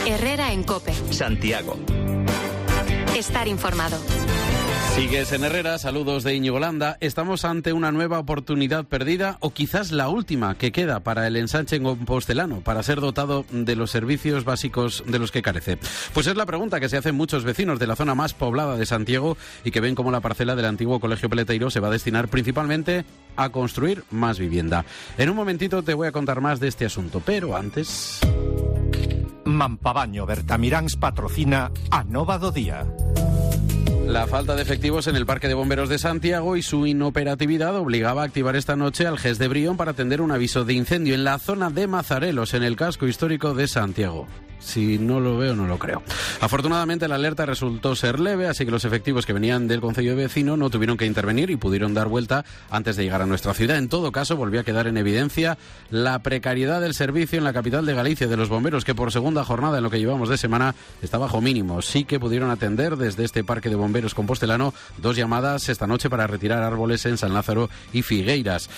Herrera en COPE. Santiago. Estar informado. Sigues en Herrera, saludos de Íñigo Landa. Estamos ante una nueva oportunidad perdida, o quizás la última que queda para el ensanche compostelano, para ser dotado de los servicios básicos de los que carece. Pues es la pregunta que se hacen muchos vecinos de la zona más poblada de Santiago y que ven cómo la parcela del antiguo Colegio Peleteiro se va a destinar principalmente a construir más vivienda. En un momentito te voy a contar más de este asunto, pero antes... Mampabaño Bertamiráns patrocina a Nova do Día. La falta de efectivos en el Parque de Bomberos de Santiago y su inoperatividad obligaba a activar esta noche al GES de Brión para atender un aviso de incendio en la zona de Mazarelos, en el casco histórico de Santiago. Si no lo veo, no lo creo. Afortunadamente la alerta resultó ser leve, así que los efectivos que venían del concello vecino no tuvieron que intervenir y pudieron dar vuelta antes de llegar a nuestra ciudad. En todo caso, volvió a quedar en evidencia la precariedad del servicio en la capital de Galicia de los bomberos, que por segunda jornada en lo que llevamos de semana está bajo mínimo. Sí que pudieron atender desde este Parque de Bomberos compostelano 2 llamadas esta noche para retirar árboles en San Lázaro y Figueiras.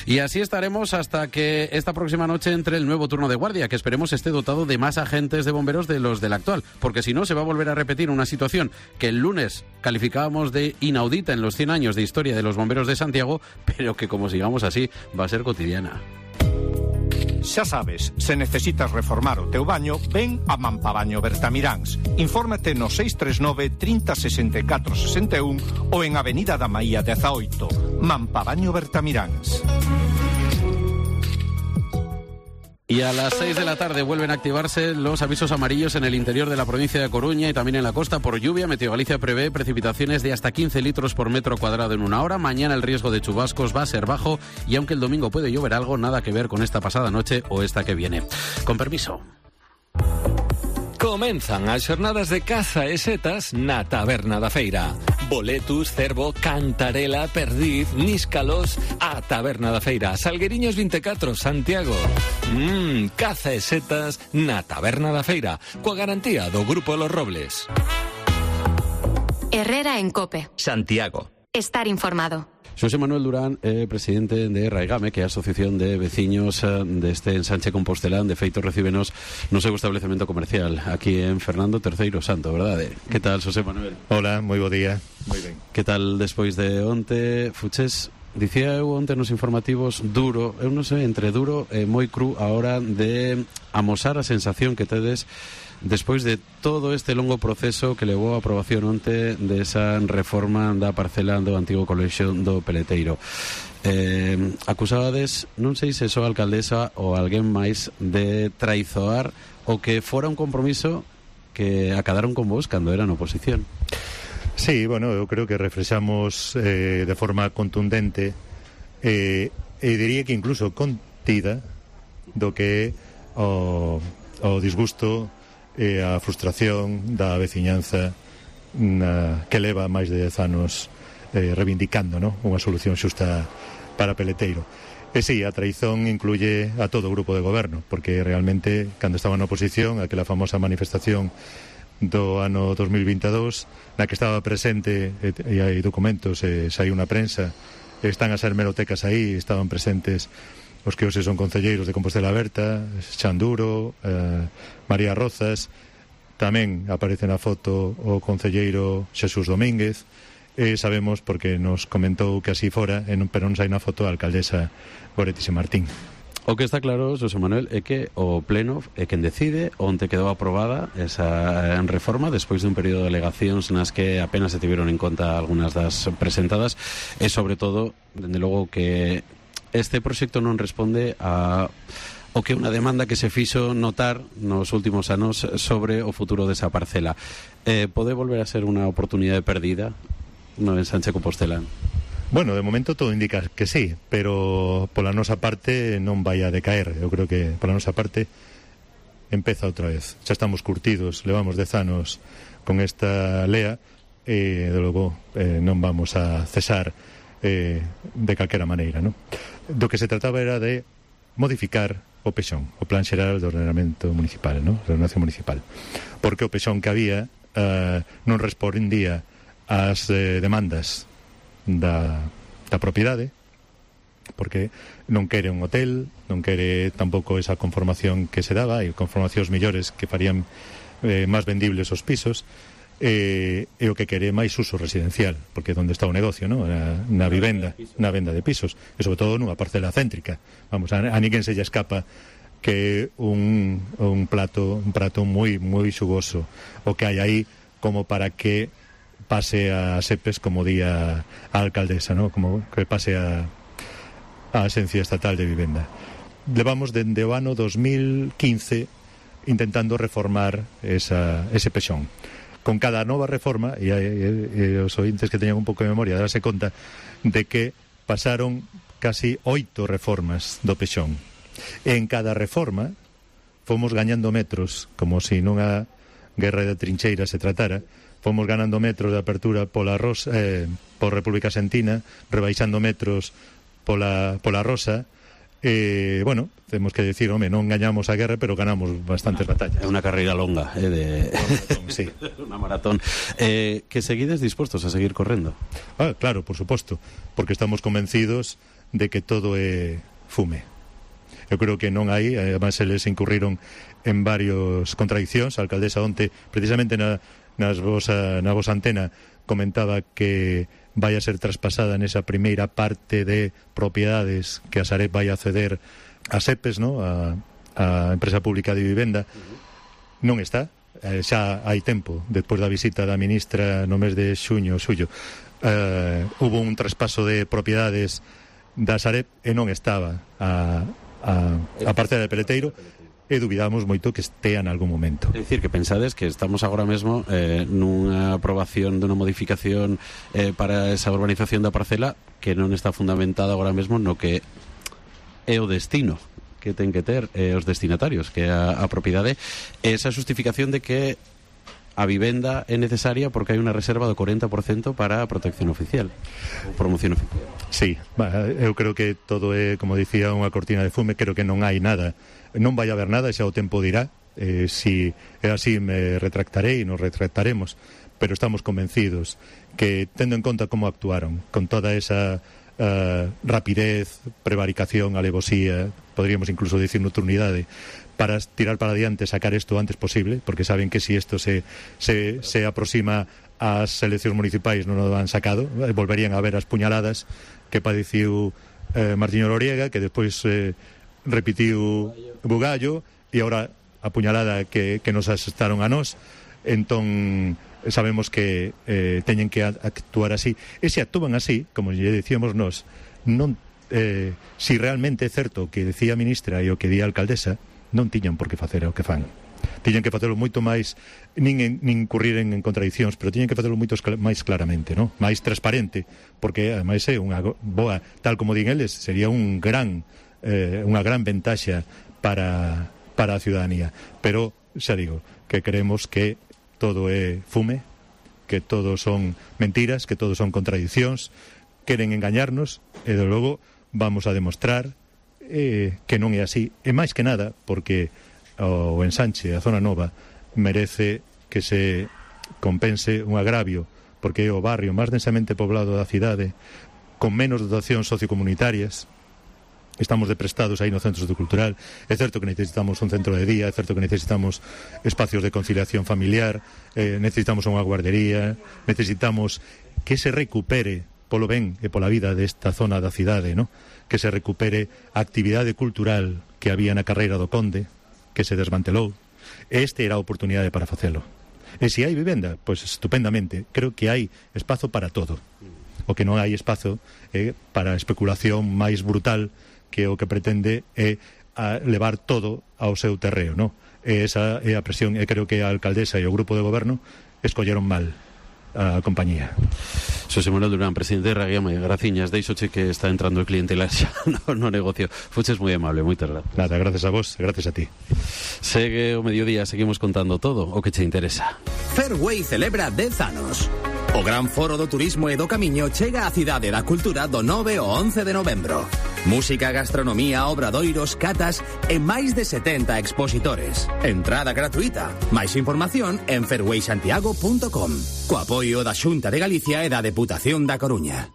Y así estaremos hasta que esta próxima noche entre el nuevo turno de guardia, que esperemos esté dotado de más agentes de bomberos de los del actual, porque si no se va a volver a repetir una situación que el lunes calificábamos de inaudita en los 100 años de historia de los bomberos de Santiago, pero que como sigamos así va a ser cotidiana. Xa sabes, se necesitas reformar o teu baño, ven a Mampabaño Bertamiráns. Infórmate no 639 30 64 61 ou en Avenida da Maía 18. Mampabaño Bertamiráns. Y a las 6 de la tarde vuelven a activarse los avisos amarillos en el interior de la provincia de Coruña y también en la costa por lluvia. Meteo Galicia prevé precipitaciones de hasta 15 litros por metro cuadrado en una hora. Mañana el riesgo de chubascos va a ser bajo y aunque el domingo puede llover algo, nada que ver con esta pasada noche o esta que viene. Con permiso. Comenzan as xornadas de caza e setas na Taberna da Feira. Boletus, cervo, cantarela, perdiz, níscalos, a Taberna da Feira. Salgueriños 24, Santiago. Caza e setas na Taberna da Feira, coa garantía do Grupo Los Robles. Herrera en COPE. Santiago. Estar informado. José Manuel Durán, presidente de Raigame, que é a Asociación de Veciños deste ensanche compostelán. De feito, recíbenos no seu establecemento comercial aquí en Fernando III Santo, verdade? Que tal, José Manuel? Hola, moi bo día. Moi ben. Que tal despois de onte, Fuches? Dicía eu onte nos informativos duro, eu non sei, entre duro e moi cru a hora de amosar a sensación que tedes despois de todo este longo proceso que levou a aprobación onte desa reforma da parcela do antigo colexio do Peleteiro. Acusabades, non sei se só a alcaldesa ou alguén máis, de traizoar o que fora un compromiso que acadaron con vos cando eran oposición. Sí, bueno, eu creo que reflexamos de forma contundente e diría que incluso contida do que o disgusto e a frustración da veciñanza que leva máis de 10 anos reivindicando, ¿no?, unha solución xusta para Peleteiro. E sí, a traizón incluye a todo o grupo de goberno, porque realmente, cando estaba na oposición, aquela famosa manifestación do ano 2022, na que estaba presente, e hai documentos, saiu na prensa, están as hemerotecas aí, estaban presentes os que hoxe son concelleiros de Compostela Aberta, Xanduro, María Rozas, tamén aparece na foto o concelleiro Xesús Domínguez, e sabemos porque nos comentou que así fora, pero non sai na foto a alcaldesa Goretis e Martín. O que está claro, José Manuel, é que o Pleno é quen decide onde quedou aprobada esa reforma despois dun período de alegacións nas que apenas se tiveron en conta algunhas das presentadas e, sobre todo, dende logo que este proxecto non responde a o que unha demanda que se fixo notar nos últimos anos sobre o futuro desa parcela. Pode volver a ser unha oportunidade perdida no ensanche compostelán? Bueno, de momento todo indica que sí, pero pola nosa parte non vai a decaer. Eu creo que pola nosa parte empeza outra vez. Xa estamos curtidos, levamos 10 anos con esta lea e, de logo, non vamos a cesar de calquera maneira, non? Do que se trataba era de modificar o PEXón, o Plan Xeral de Ordenamento Municipal, non? De Ordenación Municipal. Porque o PEXón que había non respondía ás demandas da propiedade, porque non quere un hotel, non quere tampouco esa conformación que se daba, e conformacións mellores que farían máis vendibles os pisos, e o que quere máis uso residencial, porque é onde está o negocio, ¿no? Na vivenda, na venda de pisos, e sobre todo nunha parcela céntrica. Vamos, a ninguén se lle escapa que un prato moi xugoso o que hai aí, como para que pase a SEPES, como di a alcaldesa, ¿no? Como que pase a Axencia Estatal de Vivenda. Levamos dende o ano 2015 intentando reformar ese pexón. Con cada nova reforma, e os ointes que teñan un pouco de memoria darase conta de que pasaron casi 8 reformas do pexón. E en cada reforma fomos gañando metros, como se nunha guerra de trincheiras se tratara. Fomos ganando metros de apertura por República Argentina, rebaixando metros pola Rosa. Bueno, temos que decir, home, non gañamos a guerra, pero ganamos bastantes batallas. É unha carreira longa, sí. Unha maratón. Que seguides dispostos a seguir correndo? Claro, por suposto, porque estamos convencidos de que todo é fume. Eu creo que non hai, además eles incurriron en varios contradiccións. A alcaldesa onte, precisamente na vosa antena, comentaba que vai a ser traspasada nesa primeira parte de propiedades que a Sareb vai a ceder a SEPES, ¿no? a Empresa Pública de Vivenda. Non está, xa hai tempo, despois da visita da ministra no mes de xuño, hubo un traspaso de propiedades da Sareb e non estaba a parcela de Peleteiro, e dubidamos moito que estea en algún momento. É dicir, que pensades que estamos agora mesmo nunha aprobación dunha modificación para esa urbanización da parcela que non está fundamentada agora mesmo no que é o destino que ten que ter os destinatarios, que é a propiedade, esa justificación de que a vivenda é necesaria porque hai unha reserva do 40% para a protección oficial ou promoción oficial. Sí, eu creo que todo é, como dicía, unha cortina de fume. Creo que non hai nada, non vai haber nada, xa o tempo dirá. Si é así, me retractarei e nos retractaremos, pero estamos convencidos que, tendo en conta como actuaron, con toda esa rapidez, prevaricación, alevosía, podríamos incluso dicir nocturnidade, para tirar para adiante, sacar isto o antes posible, porque saben que si isto se aproxima ás eleccións municipais non o han sacado, volverían a ver as puñaladas que padeciu Martiño Loriega, que despois repitiu Bugallo, e agora a puñalada que nos asestaron a nós. Entón sabemos que teñen que actuar así, e se actúan así, como lle dicíamos nós, non si realmente é certo que decía a ministra e o que di a alcaldesa, non tiñan por que facer o que fan. Tiñan que facelo moito máis, nin incurrir en contradiccións, pero tiñan que facelo moito máis claramente, ¿no? Máis transparente, porque ademais é unha boa, tal como din eles, sería unha gran ventaxa para a ciudadanía. Pero xa digo, que creemos que todo é fume, que todo son mentiras, que todo son contradiccións, queren engañarnos, e de logo vamos a demostrar que non é así, e máis que nada porque o ensanche, a zona nova, merece que se compense un agravio, porque é o barrio máis densamente poblado da cidade, con menos dotacións sociocomunitarias. Estamos deprestados aí no centro cultural. É certo que necesitamos un centro de día, é certo que necesitamos espacios de conciliación familiar, necesitamos unha guardería, necesitamos que se recupere polo ben e pola vida desta zona da cidade, ¿no? Que se recupere a actividade cultural que había na carreira do Conde, que se desmantelou. Este era a oportunidade para facelo. E se hai vivenda, pois estupendamente. Creo que hai espazo para todo. O que non hai espazo é para a especulación máis brutal, que o que pretende é levar todo ao seu terreo, ¿no? E esa é a presión, e creo que a alcaldesa e o grupo de goberno escolleron mal a compañía. Xosé Manuel Durán, presidente de Raguiama, graciñas, deixoche que está entrando o cliente xa no negocio. Fuches moi amable, moitas gracias. Nada, gracias a vos, gracias a ti. Segue o mediodía, seguimos contando todo o que che interesa. Fairway celebra 10 anos. O gran foro do turismo e do camiño chega á Cidade da Cultura do 9 ao 11 de novembro. Música, gastronomía, obradoiros, catas e máis de 70 expositores. Entrada gratuita. Máis información en fairwaysantiago.com. Co apoio da Xunta de Galicia e da Deputación da Coruña.